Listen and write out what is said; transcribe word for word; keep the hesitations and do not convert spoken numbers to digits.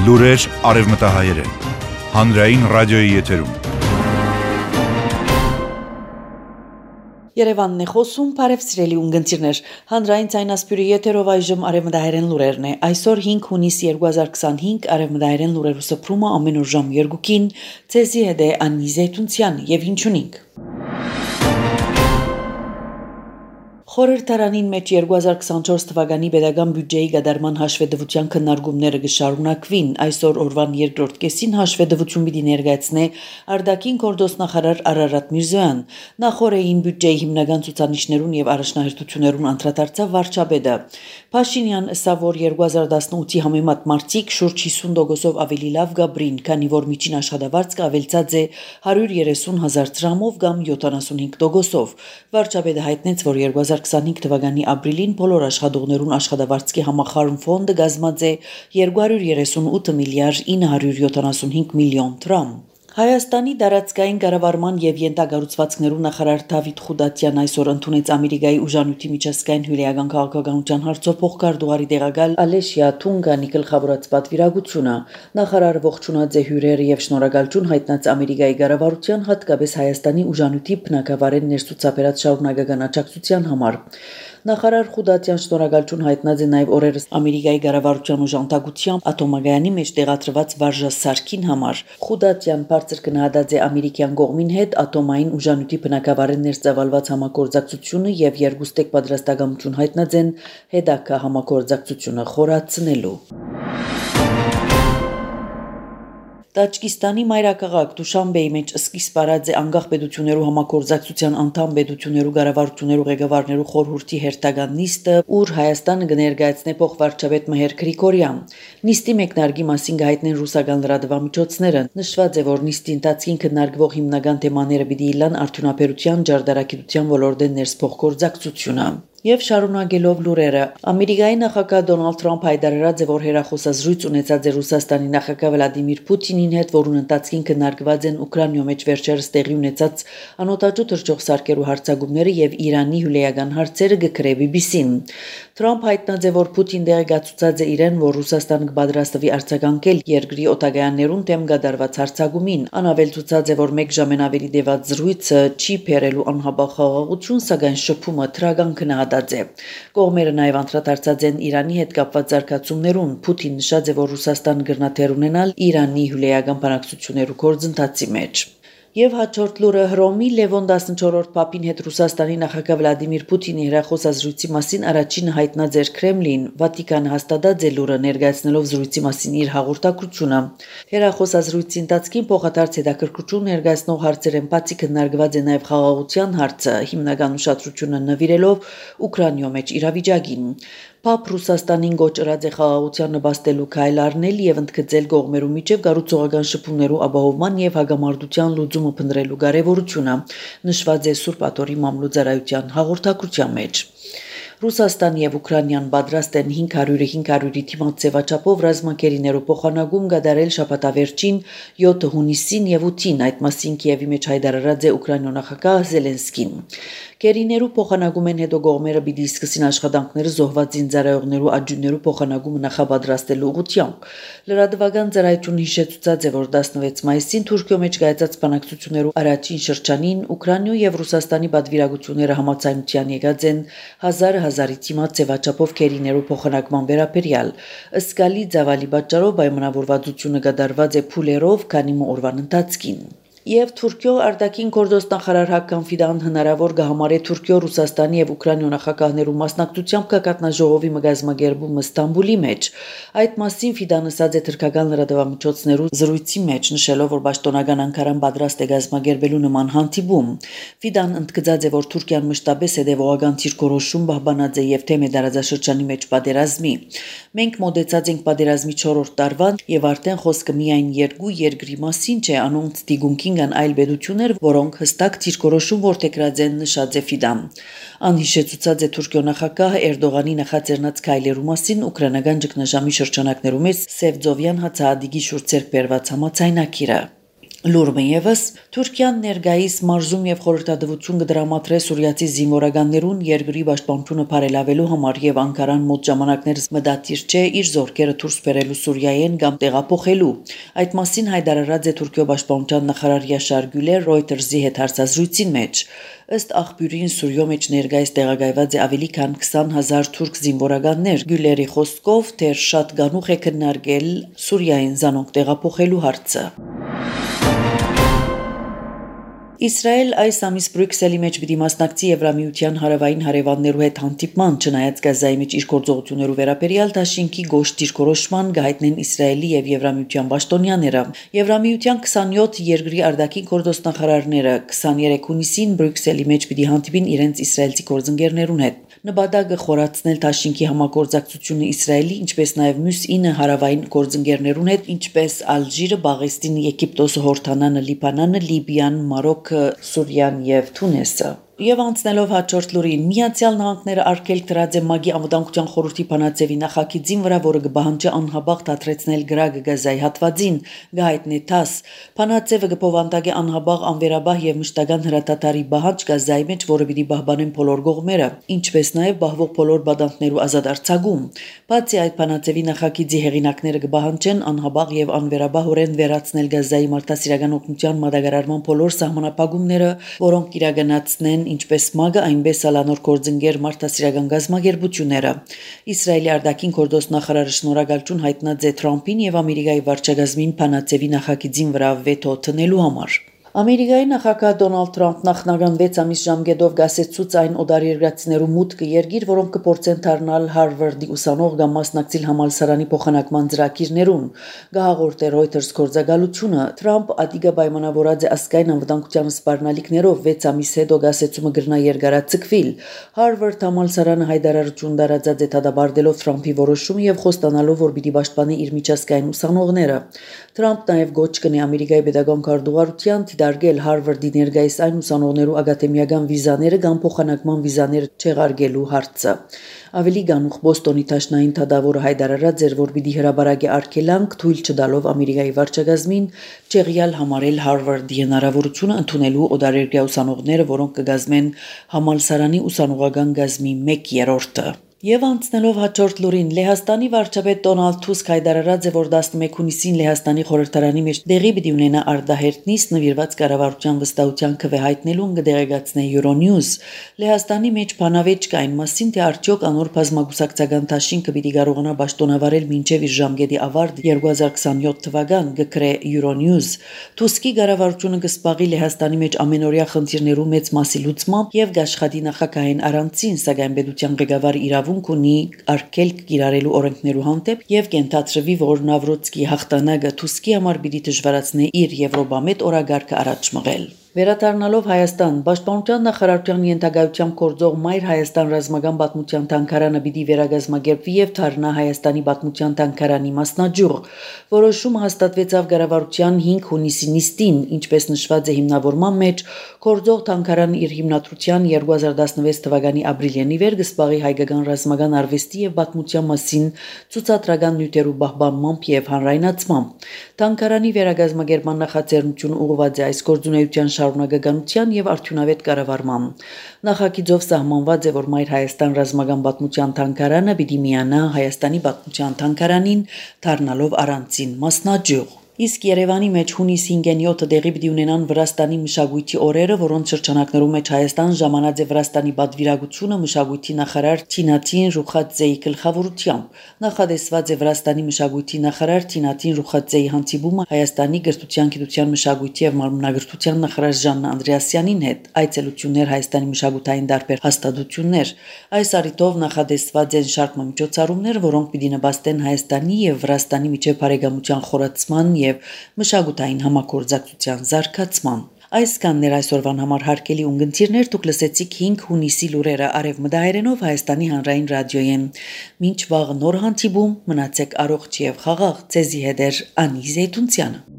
Լուրեր արևմտահայերեն, հանրային ռադիոյի եթերում։ Երևանն է խոսում, բարև սիրելի ունգընտիրներ, հանրային ցայնասպյուրի եթերով այժմ արևմտահայերեն լուրերն է։ Այսօր հինգ հունիս երկու հազար քսանհինգ արևմտահայերեն լուրերու սփռումը ամեն օր ժամ երկուքին, ցեզի հետ է Անի Զեյթունցյան եւ ինչունինք։ Խորհրդարանին մեջ երկու հազար քսանչորս թվականի պետական բյուջեի գդարման հաշվետվության քննարկումները կշարունակվին։ Այսօր օրվան երկրորդ կեսին հաշվետվություն պիտի ներկայացնե արտաքին գործոստնախարար Արարատ Միրզոյան։ Նախորդային բյուջեի հիմնական ցուցանիշներուն եւ առաջնահերթություններուն անդրադարձավ վարչապետը։ Փաշինյան ըսավ, որ երկու հազար տասնութի համեմատ մարտիկ շուրջ հիսուն տոկոսով ավելի լավ գաբրին, քանի որ միջին աշխատավարձը ավելցած է հարյուր երեսուն հազար դրամով կամ յոթանասունհինգ տոկոսով։ Վարչապետը հայտնեց, որ երկու հազար քսանհինգ թվականի ապրիլին բոլոր աշխատողներուն աշխատավարձքի համախառն ֆոնդը կազմած է երկու հարյուր երեսունութ միլիարդ ինը հարյուր յոթանասունհինգ միլիոն դրամ։ Հայաստանի դարածքային կառավարման եւ յենթագառուցվածքներու նախարար Դավիթ Խուդատյան այսօր ընդունեց Ամերիկայի ուժանույթի միջազգային հյուրիական քաղաքականության հարցով փոխկարդուղարի տեղակալ Ալեշիա Թունգանի գլխավորած պատվիրակությունը։ Նախարարը ողջունած է հյուրերը եւ շնորհակալություն հայտնած Ամերիկայի կառավարության, հատկապես Հայաստանի ուժանույթի բնակավարեն ներսուցաբերած շարունակական աջակցության համար։ Նախարար Խուդատյան շնորհակալություն հայտնած է նաև օրերս Ամերիկայի կառավարության ուժանդակությամբ ատոմագայանի մեջ տեղադրված վարժասարքին համար։ Խուդատյան բարձր գնահատած է ամերիկյան կողմին հետ ատոմային ուժանույթի բնակավարեն ներծավալված համագործակցությունը եւ երկուստեք պատրաստակամություն հայտնած են հետագա համագործակցությունը խորացնելու։ Տաջկիստանի մայրաքաղաք Դուշանբեի մեջ սկիզբ առած է անկախ պետություններու համագործակցության անդամ պետություններու կառավարություններու ղեկավարներու խորհրդի հերթական նիստը, ուր Հայաստանը կներկայացնե փոխվարչապետ Մհեր Գրիգորյան։ Նիստի մեկնարկի մասին կհայտնեն ռուսական լրատվամիջոցները։ Նշված է, որ նիստի ընթացքին քննարկվող հիմնական թեմաները պիտի իլան արդյունաբերության, ջարդարագիտության ոլորտեն ներսփոխգործակցությունը։ Եվ շարունակելով լուրերը, Ամերիկայի նախագահ Դոնալդ Թրամփ հայտարարած է, որ հերախոսազրույց ունեցած է Ռուսաստանի նախագահ Վլադիմիր Պուտինին հետ, որուն ընթացքին քննարկված են Ուկրաինայում մեջ վերջերս տեղի ունեցած անօտաչու թռչող սարքերու հարձակումները եւ Իրանի հյուրեական հարցերը, գկրե բի բի սին։ Թրամփ հայտնած է, որ Պուտին դեղեկացուցած է իրեն, որ Ռուսաստանը կպատրաստվի արձագանքել երկրի օտագայաններուն դեմ կատարված հարձակումին։ Անավելցուցած է, որ մեկ ժամեն ավելի տևած զրույցը չի բերելու անհաբաղ խաղաղություն, սակայն շփումը թրական քննադատած է։ Կողմերը նաև անդրադարձած են Իրանի հետ կապված զարգացումներուն։ Պուտին նշած է, որ Ռուսաստանը կրնաթեր ունենալ Իրանի հյուրեական բանակցություններու գործընթացի մեջ։ Եվ հաջորդ լուրը Հռոմի Լևոն տասնչորրորդ Պապին հետ Ռուսաստանի նախագահ Վլադիմիր Պուտինի հեռախոսազրույցի մասին առաջինը հայտնած էր Քրեմլին։ Վատիկանը հաստատած է լուրը ներկայացնելով զրույցի մասին իր հաղորդակցությունը։ Հեռախոսազրույցի ընթացքին փոխադարձ հետաքրքրություն ներկայացնող հարցերեն բացի քննարկված է նաև խաղաղության հարցը, հիմնական ուշադրությունը նվիրելով Ուկրաինայում մեջ իրավիճակին։ Պապ Ռուսաստանին գոչրած է խաղաղության նպաստելու քայլ առնել եւ ընդգծել կողմերու միջև կառուցողական շփումներու ապահովման եւ հագամարտության լուծումը փնտրելու կարեւորությունը, նշված է Սուրբ Աթոռի մամլոյցարայության հաղորդակցության մեջ։ Ռուսաստան եւ Ուկրաինան պատրաստ են հինգ հարյուրը հինգ հարյուրի թիմած ձևաչափով ռազմակերիներու փոխանակում կատարել շաբաթավերջին յոթ հունիսին եւ ութին, այդ մասին Կիևի մեջ հայտարարած է Ուկրաինա նախագահ Զելենսկին։ Կերիներու փոխանակումեն հետո կողմերը պիտի սկսին աշխատանքները զոհված զինծառայողներու աջուններու փոխանակումը նախապատրաստելու ուղղությամբ։ Լրատվական ծառայությունը հիշեցուցած է, որ տասնվեց մայիսին Թուրքիո մեջ կայացած բանակցություններու առաջին շրջանին Ուկրաինայ եւ Ռուսաստանի պատվիրակությունները համաձայնության եկած են հազար հազարի թիմած ձևաչափով կերիներու փոխանակման վերաբերյալ։ Ըսկալի ծավալի պատճառով պայմանավորվածությունը կատարված է փուլերով, քանի օրվան ընթացքին։ Եվ Թուրքիո արտաքին գործոստնախարար Հական Ֆիդան հնարավոր կհամարե Թուրքիո, Ռուսաստանի եւ Ուկրաինայ նախագահներու մասնակցությամբ կկատնաժողովի մգազմագերբումը Ստամբուլի մեջ։ Այդ մասին Ֆիդան ասած է թուրքական լրատվամիջոցներու զրույցի մեջ, նշելով, որ պաշտոնական Անկարան պատրաստ է գազմագերբելու նման հանդիպում։ Ֆիդան ընդգծած է, որ Թուրքիան մշտապես հետևողական դիրքորոշում պահպանած է եւ թեմ է տարածաշրջանի մեջ պատերազմի։ Մենք մոտեցած ենք պատերազմի չորրորդ տարվան եւ արդեն խոսքը միայն երկու երկրի մասին չէ, անոնց դիգունքին կան այլ պետություններ, որոնք հստակ դիրքորոշում որդեգրած են, նշած է Ֆիդան։ Անհիշեցուցած է Թուրքիո նախագահ Էրդողանի նախաձեռնած քայլերու մասին ուկրաինական ճգնաժամի շրջանակներում է Սևծովյան հացահատիկի շուրջ ձեռք բերված համաձայնագիրը։ Լուրը ևս Թուրքիան ներկայիս մարզում եւ խորհրդատվություն կդրամատրե սուրիացի զինվորականներուն երկրի պաշտպանությունը բարելավելու համար եւ Անկարան մոտ ժամանակներս մտադիր չէ իր զորքերը դուրս բերելու Սուրիայեն կամ տեղափոխելու։ Այդ մասին հայտարարած է Թուրքիո պաշտպանության նախարար Յաշար Գյուլեր Reuters-ի հետ հարցազրույցին մեջ։ Ըստ աղբյուրին Սուրիո մեջ ներկայիս տեղակայված է ավելի քան քսան հազար թուրք զինվորականներ։ Գյուլերի խոսքով դեռ շատ գանուխ է քննարկել Սուրիային զանոնք տեղափոխելու հարցը։ Իսրայել այս ամիս Բրյուսելի մեջ պիտի մասնակցի Եվրամիության հարավային հարևաններու հետ հանդիպման, չնայած Գազայի մեջ իր գործողություններու վերաբերյալ դաշինքի գոշ դիրքորոշման գայտնեն Իսրայելի եւ Եվրամիության պաշտոնյաները։ Եվրամիության քսանյոթ երկրի արտաքին գործոստնախարարները քսաներեք հունիսին Բրյուսելի մեջ պիտի հանդիպին իրենց իսրայելցի գործընկերներուն հետ։ Նպատակը խորացնել դաշինքի համագործակցությունը Իսրայելի, ինչպես նաև մյուս ինը հարավային գործընկերներուն հետ, ինչպես Ալժիրը, Բաղեստինը, Եգիպտոսը, Հորդանանը, Լիբանանը, Լիբիան, Մարոկը, Սուրիան եւ Թունիսը։ Եվ անցնելով հաջորդ լուրին, Միացյալ Նահանգները արգելք դրած է ՄԱԳ-ի անվտանգության խորհրդի բանաձևի նախագծին վրա, որը կբահանջի անհաբաղ դադրեցնել գրագը Գազայի հատվածին, գայտնի տաս։ Բանաձևը կփոխանցի անհաբաղ անվերաբահ եւ մշտական հրատատարի բահանջ Գազայի մեջ, որը պիտի պահպանեն բոլոր կողմերը, ինչպես նաև բահվող բոլոր բադանտներու ազատ արձակում։ Բացի այդ բանաձևի նախագծի հեղինակները կբահանջեն անհաբաղ եւ անվերաբահորեն վերացնել Գազայի մարդասիրական օգնության մատակարարման բոլոր սահմանափակումները, որոնք իրականացնեն ինչպես ՄԱԳ-ը, այնպես ալանոր գործընկեր մարդասիրական գազագերբությունները։ Իսրայելի արտաքին գործ նախարարը շնորհակալություն հայտնած է Թրամփին եւ Ամերիկայի վարչագազմին բանաձևի նախագծին վրա վետո տնելու համար։ Ամերիկայի նախագահ Դոնալդ Թրամփն նախնական վեց ամիս ժամկետով գասեցուց այն օտարերկրացիներու մուտքը երկիր, որոնք կփորձեն դառնալ Հարվարդի ուսանող կամ մասնակցել համալսարանի փոխանակման ծրագիրներուն։ Գահաղորդ է Reuters գործակալությունը։ Թրամփ ադիգա պայմանավորած է ազգային անվտանգության սպառնալիքներով վեց ամիս հետո գասեցումը գրնա երկարաձգվել։ Հարվարդ համալսարանը հայտարարություն տարածած է դադարելով Թրամփի որոշումը եւ խոստանալով, որ պիտի պաշտպանի իր միջազգային ուսանողները։ Թրամփ նաև գոչ կնի Ամերիկայի պետական քարտուղարության դիտարկել Հարվարդի ներկայիս այն ուսանողներու ակադեմիական վիզաները կամ փոխանակման վիզաները չեղարկելու հարցը։ Ավելի գանուխ Բոստոնի տաշնային թադավորը հայտարարած էր, որ պիտի հրաբարակի արգելանք թույլ չտալով Ամերիկայի վարչագազմին չեղյալ համարել Հարվարդի հնարավորությունը ընդունելու օտարերկրյա ուսանողները, որոնք կգազմեն համալսարանի ուսանողական գազմի մեկ երրորդը։ Եվ անցնելով հաջորդ լուրին, Լեհաստանի վարչապետ Դոնալդ Թուսկ հայտարարած է, որ տասնմեկ հունիսին Լեհաստանի խորհրդարանի մեջ դեղի պիտի ունենա արտահերտ նիստ նվիրված կառավարության վստահության քվեհայտնելուն կդեղեկացնե Euronews։ Լեհաստանի մեջ բանավեճ կային մասին, թե արդյոք անոր բազմագուսակցական դաշինքը պիտի կարողանա պաշտոնավարել մինչև իր ժամկետի ավարտ երկու հազար քսանյոթ թվական, գկրե Euronews։ Թուսկի կառավարությունը կսպաղի Լեհաստանի մեջ ամենօրյա խնդիրներու մեծ մասի լուծմամբ եւ գաշխատի նախագահային առանցին, սակայն պետության ղեկավարը իրավունք ունի արգելք կիրառելու օրենքներու հանդեպ եւ կենթադրվի, որ Նավրոցկի հաղթանակը Թուսկի համար պիտի դժվարացնի իր Եվրոպամետ օրագարկը առաջ մղել։ Վերադառնալով Հայաստան, Պաշտպանության նախարարության ենթակայությամբ գործող Մայր Հայաստան ռազմական պատմության թանգարանը պիտի վերագազմագերբվի եւ դառնա Հայաստանի պատմության թանգարանի մասնաճյուղ։ Որոշումը հաստատվեցավ կառավարության հինգ հունիսի նիստին, ինչպես նշված է հիմնավորման մեջ, գործող թանգարանը իր հիմնադրության երկու հազար տասնվեց թվականի ապրիլին վեր կսպաղի հայկական ռազմական արվեստի եւ պատմության մասին ցուցադրական նյութերու պահպանմամբ եւ հանրայնացմամբ։ Թանգարանի վերագազմագերբման նախաձեռնությունը ուղղված է այս գործունեության շարունակականության եւ արդյունավետ կառավարման։ Նախագիծով սահմանված է, որ Մայր Հայաստան ռազմական պատմության թանգարանը պիտի միանա Հայաստանի պատմության թանգարանին, դառնալով առանցին մասնաճյուղ։ Իսկ Երևանի մեջ հունիսի հինգին յոթը տեղի պիտի ունենան Վրաստանի մշակույթի օրերը, որոնց շրջանակներում մեջ Հայաստան ժամանած է Վրաստանի պատվիրակությունը մշակույթի նախարար Թինատին Ռուխաձեի գլխավորությամբ։ Նախադեсված է Վրաստանի մշակույթի նախարար Թինատին Ռուխաձեի հանդիպումը Հայաստանի գրթության, գիտության, մշակույթի եւ մարմնագրթության նախարար Ժաննա Անդրեասյանին հետ, այցելություններ Հայաստանի մշակութային տարբեր հաստատություններ։ Այս առիթով նախադեсված են շարք միջոցառումներ, որոնք պիտի նպաստեն Հայաստանի եւ Վրաստանի միջև բարեկամության խորացման եւ մշակութային համագործակցության զարգացման։ Այսքանն էր այսօրվան համար հարգելի ունգընտիրներ, դուք լսեցիք հինգ հունիսի լուրերը արևմտահայերենով Հայաստանի հանրային ռադիոյեն։ Մինչ վաղ նոր հանդիպում, մնացեք առողջ եւ խաղաղ, ձեզի հետ է Անի Զեյթունցյանը։